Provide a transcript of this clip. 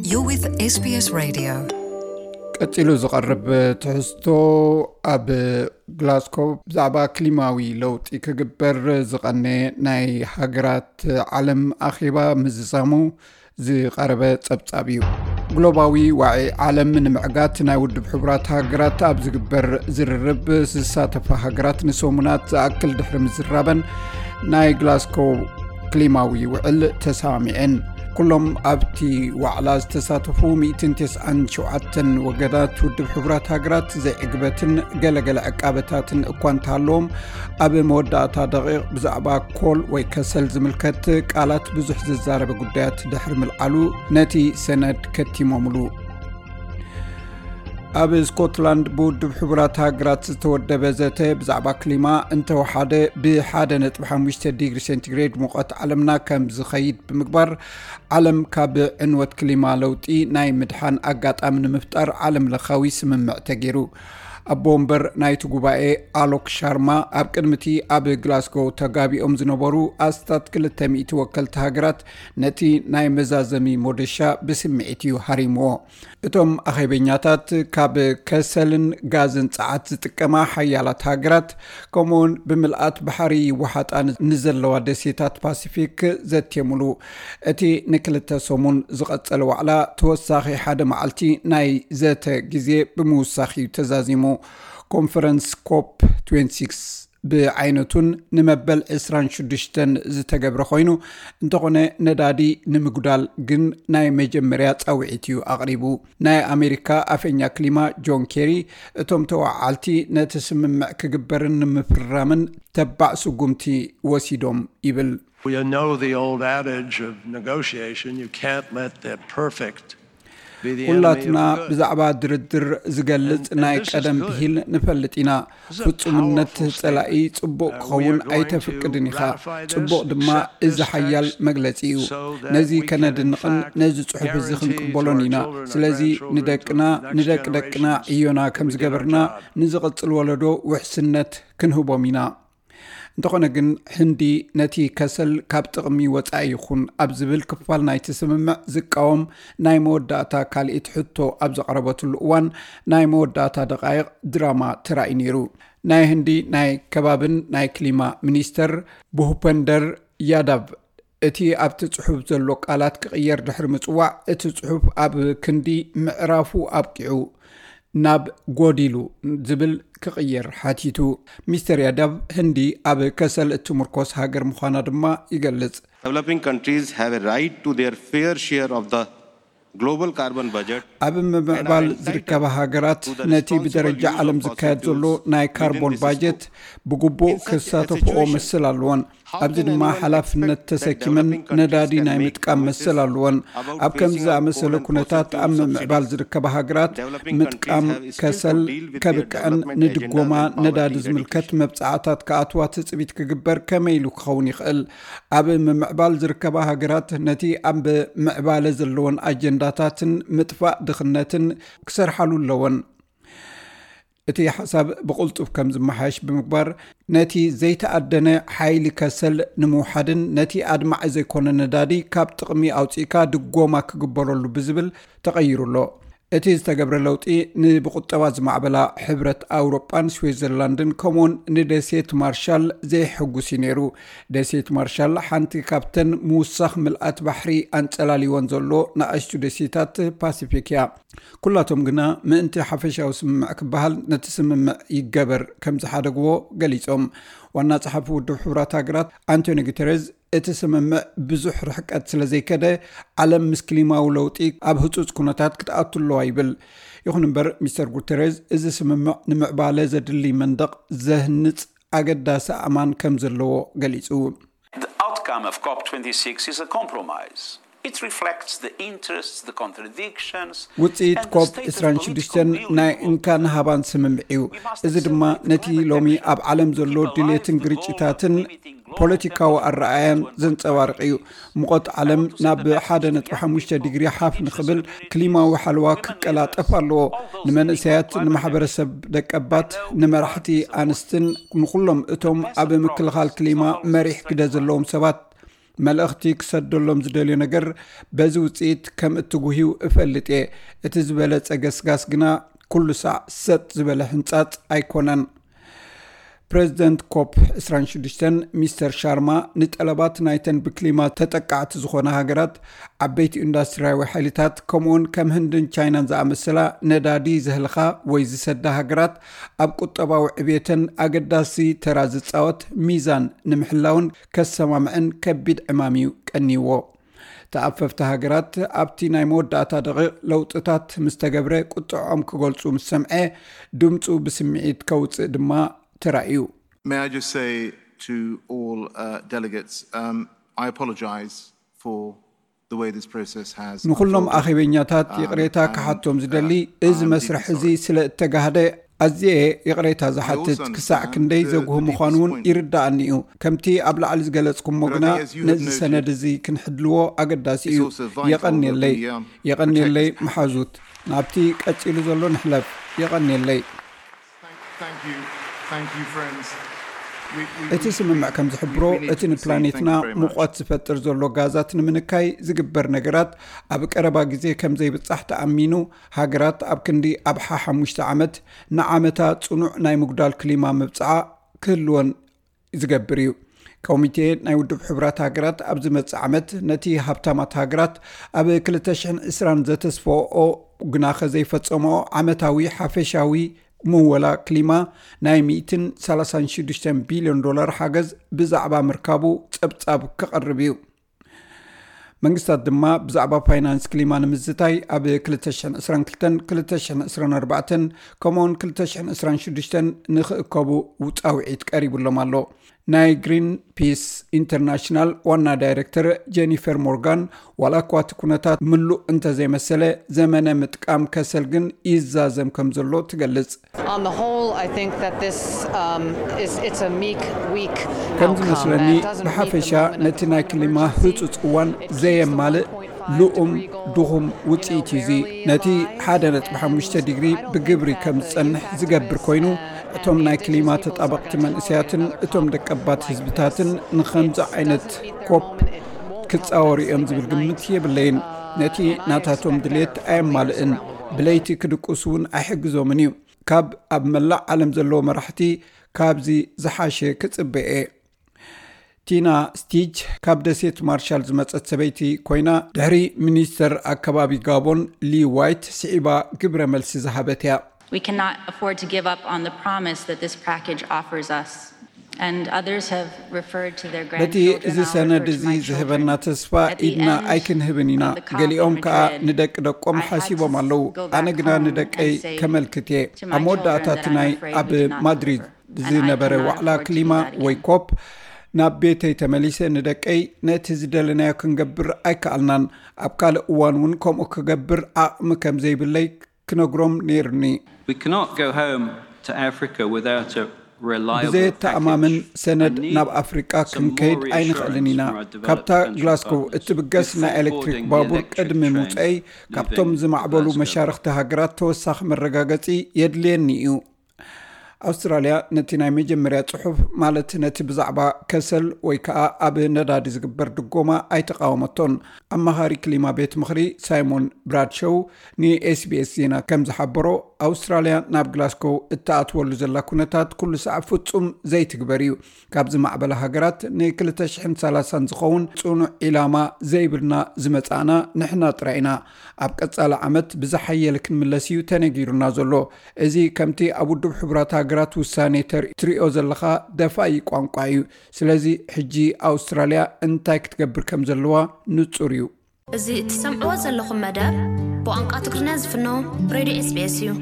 You're with S B S Radio. ቀጺሉ ዝቐርብ ትሕዝቶ፣ ኣብ ግላስኮ ብዛዕባ ክሊማዊ ለውጢ ክግበር ዝቐነ ናይ ሃገራት ዓለም ኣኼባ ምዝዛሙ ዝቐረበ ጸብጻብ እዩ። ግሎባዊ ዋዒ ዓለም ንምዕጋት ናይ ውድብ ሕቡራት ሃገራት ኣብ ዝግበር ዝርርብ ዝሳተፋ ሃገራት ንሰሙናት ዝኣክል ድሕሪ ምዝራበን ናይ ግላስኮ ክሊማዊ ውዕል ተሰማሚዐን። ኩሎም ኣብቲ ዋዕላ ዝተሳተፉ ሚእትን ተስዓን ሸውዓተን ወገናት ውድብ ሕቡራት ሃገራት ዘይዕግበትን ገለገለ ዕቃበታትን እኳ እንተሃለዎም፣ ኣብ መወዳእታ ደቂቕ ብዛዕባ ኮል ወይ ከሰል ዝምልከት ቃላት ብዙሕ ዝዛረበ ጉዳያት ድሕሪ ምልዓሉ ነቲ ሰነድ ከቲሞምሉ። ኣብ ስኮትላንድ ብውድብ ሕቡራት ሃገራት ዝተወደበ ዘተ ብዛዕባ ክሊማ እንተወሓደ ብ ሓደ ነጥቢ ሓሙሽተ ዲግሪ ሴንቲግሬድ ሙቐት ዓለምና ከም ዝኸይድ ብምግባር ዓለም ካብ ዕንወት ክሊማ ለውጢ ናይ ምድሓን ኣጋጣሚ ንምፍጣር ዓለም ለኻዊ ስምምዕ ተገይሩ። ኣቦ ወንበር ናይቲ ጉባኤ ኣሎክ ሻርማ ኣብ ቅድሚቲ ኣብ ግላስጎ ተጋቢኦም ዝነበሩ ኣስታት ክልተ ሚእቲ ወከልቲ ሃገራት ነቲ ናይ መዛዘሚ ሞደሻ ብስምዒት እዩ ሃሪምዎ። እቶም ኣኼበኛታት ካብ ከሰልን ጋዝን ጸዓት ዝጥቀማ ሓያላት ሃገራት፣ ከምኡውን ብምልኣት ባሕሪ ይወሓጣ ንዘለዋ ደሴታት ፓሲፊክ ዘትየሙሉ። እቲ ንክልተ ሰሙን ዝቐጸለ ዋዕላ ተወሳኺ ሓደ መዓልቲ ናይ ዘተ ግዜ ብምውሳኽ እዩ ተዛዚሙ። ኮንፈረንስ ኮፕ ትዌንቲ ሲክስ ብዓይነቱን ንመበል ዕስራን ሽዱሽተን ዝተገብረ ኮይኑ፣ እንተኾነ ነዳዲ ንምጉዳል ግን ናይ መጀመርያ ጻውዒት እዩ ኣቕሪቡ። ናይ ኣሜሪካ ኣፈኛ ክሊማ ጆን ኬሪ፣ እቶም ተዋዓልቲ ነቲ ስምምዕ ክግበርን ንምፍራምን ተባዕ ስጉምቲ ወሲዶም ይብል። You know the old adage of negotiation, you can't let the perfect be the enemy of ኩላትና the good. ብዛዕባ ድርድር ዝገልጽ ናይ ቀደም ብሂል ንፈልጥ ኢና። ፍጹምነት ጸላኢ ጽቡቕ ክኸውን ኣይተፍቅድን ኢኻ። ጽቡቕ ድማ እዚ ሓያል መግለጺ እዩ። ነዚ ከነድንቕን ነዚ ጽሑፍ እዚ ክንቅበሎን ኢና። ስለዚ ንደቅና፣ ንደቂ ደቅና ዕዮና ከም ዝገበርና ንዝቕጽል ወለዶ ውሕስነት ክንህቦም ኢና። እንተኾነ ግን፣ ህንዲ ነቲ ከሰል ካብ ጥቕሚ ወጻኢ ይኹን ኣብ ዝብል ክፋል ናይቲ ስምምዕ ዝቃወም ናይ መወዳእታ ካልኢት ሕቶ ኣብ ዘቕረበትሉ እዋን፣ ናይ መወዳእታ ደቓይቕ ድራማ ተራእዩ ነይሩ። ናይ ህንዲ ናይ ከባብን ናይ ክሊማ ሚኒስተር ቡሁፐንደር ያዳቭ፣ እቲ ኣብቲ ጽሑፍ ዘሎ ቃላት ክቕየር ድሕሪ ምጽዋዕ፣ እቲ ጽሑፍ ኣብ ክንዲ ምዕራፉ ኣብቂዑ ናብ ጎዲሉ ዝብል ክቕየር ሓቲቱ። ሚስተር ያዳቭ፣ ህንዲ ኣብ ከሰል እትምርኮስ ሃገር ምዃና ድማ ይገልጽ። Developing countries have a right to their fair share of the global carbon budget. ኣብ ምምዕባል ዝርከባ ሃገራት ነቲ ብደረጃ ዓለም ዝካየድ ዘሎ ናይ ካርቦን ባጀት ብግቡእ ክሳተፍኦ መሰል ኣለወን። ኣብዚ ድማ ሓላፍነት ተሰኪመን ነዳዲ ናይ ምጥቃም መሰል ኣለወን። ኣብ ከምዚ ዝኣመሰለ ኩነታት ኣብ ምምዕባል ዝርከባ ሃገራት ምጥቃም ከሰል ከብቅዐን ንድጎማ ነዳዲ ዝምልከት መብጻዕታት ክኣትዋ ትጽቢት ክግበር ከመይ ኢሉ ክኸውን ይኽእል? ኣብ ምምዕባል ዝርከባ ሃገራት ነቲ ኣብ ምዕባለ ዘለወን ኣጀንዳታትን ምጥፋእ ድኽነትን ክሰርሓሉ ኣለወን። እቲ ሓሳብ ብቕልጡፍ ከም ዝመሓየሽ ብምግባር፣ ነቲ ዘይተኣደነ ሓይሊ ከሰል ንምውሓድን ነቲ ኣድማዒ ዘይኮነ ነዳዲ ካብ ጥቕሚ ኣውጺእካ ድጎማ ክግበረሉ ብዝብል ተቐይሩ ኣሎ። እቲ ዝተገብረ ለውጢ ንብቁጠባ ዝማዕበላ ሕብረት ኣውሮጳን ስዊዘርላንድን ከምኡውን ንደሴት ማርሻል ዘይሕጉስ እዩ ነይሩ። ደሴት ማርሻል ሓንቲ ካብተን ምውሳኽ ምልኣት ባሕሪ ኣንጸላልይወን ዘሎ ንኣሽቱ ደሴታት ፓሲፊክ እያ። ኩላቶም ግና ምእንቲ ሓፈሻዊ ስምምዕ ክበሃል ነቲ ስምምዕ ይገበር ከም ዝሓደግዎ ገሊጾም። ዋና ጸሓፊ ውድብ ሕቡራት ሃገራት ኣንቶኒ ጉተረዝ፣ እቲ ስምምዕ ብዙሕ ርሕቀት ስለ ዘይከደ፣ ዓለም ምስ ክሊማዊ ለውጢ ኣብ ህጹጽ ኩነታት ክትኣቱ ኣለዋ ይብል። ይኹን እምበር፣ ሚስተር ጉተረዝ፣ እዚ ስምምዕ ንምዕባለ ዘድሊ መንደቕ ዘህንጽ ኣገዳሲ ኣእማን ከም ዘለዎ ገሊጹ። The outcome of COP twenty-six is a compromise. It reflects the interests, the contradictions, ውጽኢት and the ኮፕ stated ዕስራን ሽዱሽተ political will ናይ of እንካን ሃባን ስምምዕ እዩ። እዚ ድማ ነቲ ሎሚ ኣብ ዓለም ዘሎ ድሌትን ግርጭታትን ፖለቲካዊ ኣረኣያን ዘንጸባርቕ እዩ። ሙቐት ዓለም ናብ ሓደ ነጥቢ ሓሙሽተ ዲግሪ ሓፍ ንኽብል ክሊማዊ ሓለዋ ክቀላጠፍ ኣለዎ። ንመንእሰያት፣ ንማሕበረሰብ ደቀባት፣ ንመራሕቲ ኣንስትን ንኹሎም እቶም ኣብ ምክልኻል ክሊማ መሪሕ ግደ ዘለዎም ሰባት መልእኽቲ ክሰደሎም ዝደልዮ ነገር በዚ ውፅኢት ከም እትጉህዩ እፈልጥ እየ። እቲ ዝበለፀ ገስጋስ ግና ኩሉ ሳዕ ሰጥ ዝበለ ሕንፃፅ ኣይኮነን። ፕሬዚደንት ኮፕ ዕስራን ሽዱሽተን ሚስተር ሻርማ ንጠለባት ናይተን ብክሊማ ተጠቃዕቲ ዝኾነ ሃገራት፣ ዓበይቲ ኢንዱስትሪያዊ ሓይልታት፣ ከምኡውን ከም ህንድን ቻይናን ዝኣመሰላ ነዳዲ ዘህልኻ ወይ ዝሰዳ ሃገራት ኣብ ቁጠባዊ ዕብየተን ኣገዳሲ ተራ ዝፃወት ሚዛን ንምሕላውን ከሰማምዐን ከቢድ ዕማም እዩ ቀንይዎ። ተኣፈፍቲ ሃገራት ኣብቲ ናይ መወዳእታ ደቂቕ ለውጥታት ምስ ተገብረ ቁጥዖም ክገልጹ ምስ ሰምዐ ድምፁ ብስምዒት ከውፅእ ድማ ተራእዩ። May I just say to all uh, delegates, um, I apologize for the way this process has ንኹሎም unfolded. ኣኼበኛታት ይቕሬታ ክሓቶም ዝደሊ፣ እዚ መስርሕ እዚ ስለ እተጋህደ ኣዝየ ይቕሬታ ዝሓትት። ክሳዕ ክንደይ ዘጉህ ምዃኑ እውን ይርዳእኒ እዩ። ከምቲ ኣብ ላዕሊ ዝገለጽኩሞ ግና ነዚ ሰነድ እዚ ክንሕድልዎ ኣገዳሲ እዩ። የቐንየለይ፣ የቐንየለይ መሓዙት። ናብቲ ቀጺሉ ዘሎ ንሕለፍ። የቐንየለይ። Thank you. Thank you, friends. We- we- እቲ ስምምዕ ከም ዝሕብሮ፣ እቲ ንፕላኔትና ሙቐት ዝፈጥር ዘሎ ጋዛት ንምንካይ ዝግበር ነገራት ኣብ ቀረባ ግዜ ከም ዘይብጻሕ ተኣሚኑ፣ ሃገራት ኣብ ክንዲ ኣብ ሓሓሙሽተ ዓመት ንዓመታ ጽኑዕ ናይ ምጉዳል ክሊማ ምብጽዓ ክህልወን ዝገብር እዩ። ኮሚቴ ናይ ውድብ ሕቡራት ሃገራት ኣብ ዝመጽእ ዓመት ነቲ ሃብታማት ሃገራት ኣብ ክልተ ሽሕን ዕስራን ዘተስፈኦ ግናኸ ዘይፈጸመኦ ዓመታዊ ሓፈሻዊ ምወላ ክሊማ ናይ ሚእትን ሰላሳን ሽዱሽተን ቢልዮን ዶላር ሓገዝ ብዛዕባ ምርካቡ ጸብጻብ ክቐርብ እዩ። መንግስታት ድማ ብዛዕባ ፋይናንስ ክሊማ ንምዝታይ ኣብ ክልተ ሽሕን ዕስራን ክልተን፣ ክልተ ሽሕን ዕስራን ኣርባዕተን ከምኡውን ክልተ ሽሕን ዕስራን ሽዱሽተን ንኽእከቡ ጻውዒት ቀሪቡሎም ኣሎ። ናይ ግሪን ፒስ ኢንተርናሽናል ዋና ዳይሬክተር ጀኒፈር ሞርጋን፣ ዋላ እኳ እቲ ኩነታት ምሉእ እንተዘይመሰለ፣ ዘመነ ምጥቃም ከሰል ግን ይዛዘም ከም ዘሎ ትገልጽ። On the whole, I think that this um, is it's a meek, weak ከም outcome. ዝመስለኒ፣ Uh, it doesn't meet the ብሓፈሻ moment of ነቲ ናይ climate ክሊማ emergency. ህጹጽ እዋን It keeps the ዘየማልእ one point five ልኡም degree goal, ድኹም you know, ውጽኢት እዩ እዚ። barely ነቲ on the rise, ሓደ ነጥቢ ሓሙሽተ and ዲግሪ I don't ብግብሪ think that ከም the ዝጸንሕ impact ዝገብር of, ኮይኑ፣ uh, እቶም ናይ ክሊማ ተጣበቕቲ መንእሰያትን እቶም ደቀባት ህዝብታትን ንኸምዚ ዓይነት ኮፕ ክጻወሩ እዮም ዝብል ግምት የብለይን። ነቲ ናታቶም ድሌት ኣየማልእን፣ ብለይቲ ክድቅሱ እውን ኣይሕግዞምን እዩ። ካብ ኣብ መላእ ዓለም ዘለዉ መራሕቲ ካብዚ ዝሓሸ ክጽበ እየ። ቲና ስቲጅ ካብ ደሴት ማርሻል ዝመጸት ሰበይቲ ኮይና፣ ድሕሪ ሚኒስተር ኣከባቢ ጋቦን ሊ ዋይት ስዒባ ግብረ መልሲ ዝሃበት እያ። We cannot afford to give up on the promise that this package offers us. And others have referred to their ነቲ grandchildren. እዚ I'll ሰነድ refer to እዚ my ዝህበና children. ተስፋ At the ኢድና end ኣይክንህብን ኢና። of the COP ገሊኦም in ከኣ Madrid, ንደቂ ደቆም I had ሓሲቦም to ኣለዉ። go back ኣነ ግና home ንደቀይ and say ከመልክት እየ። to ኣብ my መወዳእታ children እቲ that I'm ናይ afraid ኣብ we cannot ማድሪድ deliver. And I ዝነበረ cannot ዋዕላ afford to do ክሊማ that again. ወይ ኮፕ ናብ ቤተይ ተመሊሰ ንደቀይ ነቲ ዝደለናዮ ክንገብር ኣይከኣልናን። ኣብ ካልእ እዋን እውን ከምኡ ክገብር ዓቕሚ ከም ዘይብለይ ክነግሮም ነይሩኒ። We cannot go home to Africa without a reliable ብዘየተኣማምን package. ሰነድ I need ናብ ኣፍሪቃ some more ክንከይድ ኣይንኽእልን reassurance ኢና። from our developed ካብታ country ግላስኮ partners እትብገስ ናይ before ኤሌክትሪክ boarding the ባቡር electric ቅድሚ train ምውፀይ፣ leaving ካብቶም ዝማዕበሉ Glasgow. መሻርኽቲ ሃገራት ተወሳኺ መረጋገፂ የድልየኒ እዩ። ኣውስትራልያ ነቲ ናይ መጀመርያ ጽሑፍ፣ ማለት ነቲ ብዛዕባ ከሰል ወይ ከኣ ኣብ ነዳዲ ዝግበር ድጎማ ኣይተቓወመቶን። ኣማኻሪ ክሊማ ቤት ምኽሪ ሳይሞን ብራድሾው ንኤስቢኤስ ዜና ከም ዝሓበሮ፣ ኣውስትራልያ ናብ ግላስኮ እትኣትወሉ ዘላ ኩነታት ኩሉ ሳዕ ፍጹም ዘይትግበር እዩ። ካብ ዝማዕበላ ሃገራት ን ክልተ ሽሕን ሰላሳን ዝኸውን ጽኑዕ ዒላማ ዘይብልና ዝመጻእና ንሕና ጥራይ ኢና። ኣብ ቀጻሊ ዓመት ብዝሓየለ ክንምለስ እዩ ተነጊሩና ዘሎ። እዚ ከምቲ ኣብ ውድብ ሕቡራት ሃገራት ውሳኔ ተር-፣ ትሪኦ ዘለኻ ደፋኢ ቋንቋ እዩ። ስለዚ ሕጂ ኣውስትራልያ እንታይ ክትገብር ከም ዘለዋ ንጹር እዩ። እዚ እትሰምዕዎ ዘለኹም መደብ ብቋንቋ ትግርኛ ዝፍኖ ሬድዮ ኤስቢኤስ እዩ።